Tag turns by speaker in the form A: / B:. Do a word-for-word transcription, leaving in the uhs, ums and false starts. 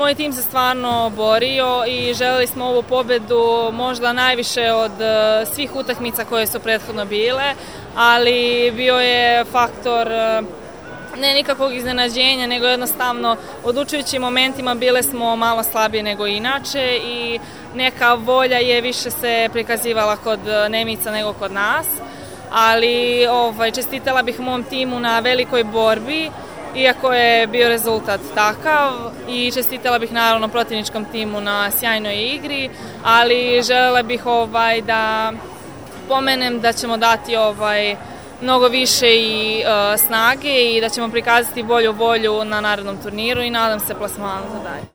A: Moj tim se stvarno borio i želeli smo ovu pobedu možda najviše od svih utakmica koje su prethodno bile, ali bio je faktor ne nikakvog iznenađenja, nego jednostavno odlučujućim momentima bile smo malo slabije nego inače i neka volja je više se prikazivala kod Nemica nego kod nas, ali ovaj, čestitala bih mom timu na velikoj borbi, iako je bio rezultat takav, i čestitala bih naravno protivničkom timu na sjajnoj igri, ali želela bih ovaj, da pomenem da ćemo dati ovaj, mnogo više i uh, snage i da ćemo prikazati bolju volju na narednom turniru i nadam se plasmanu za dalje.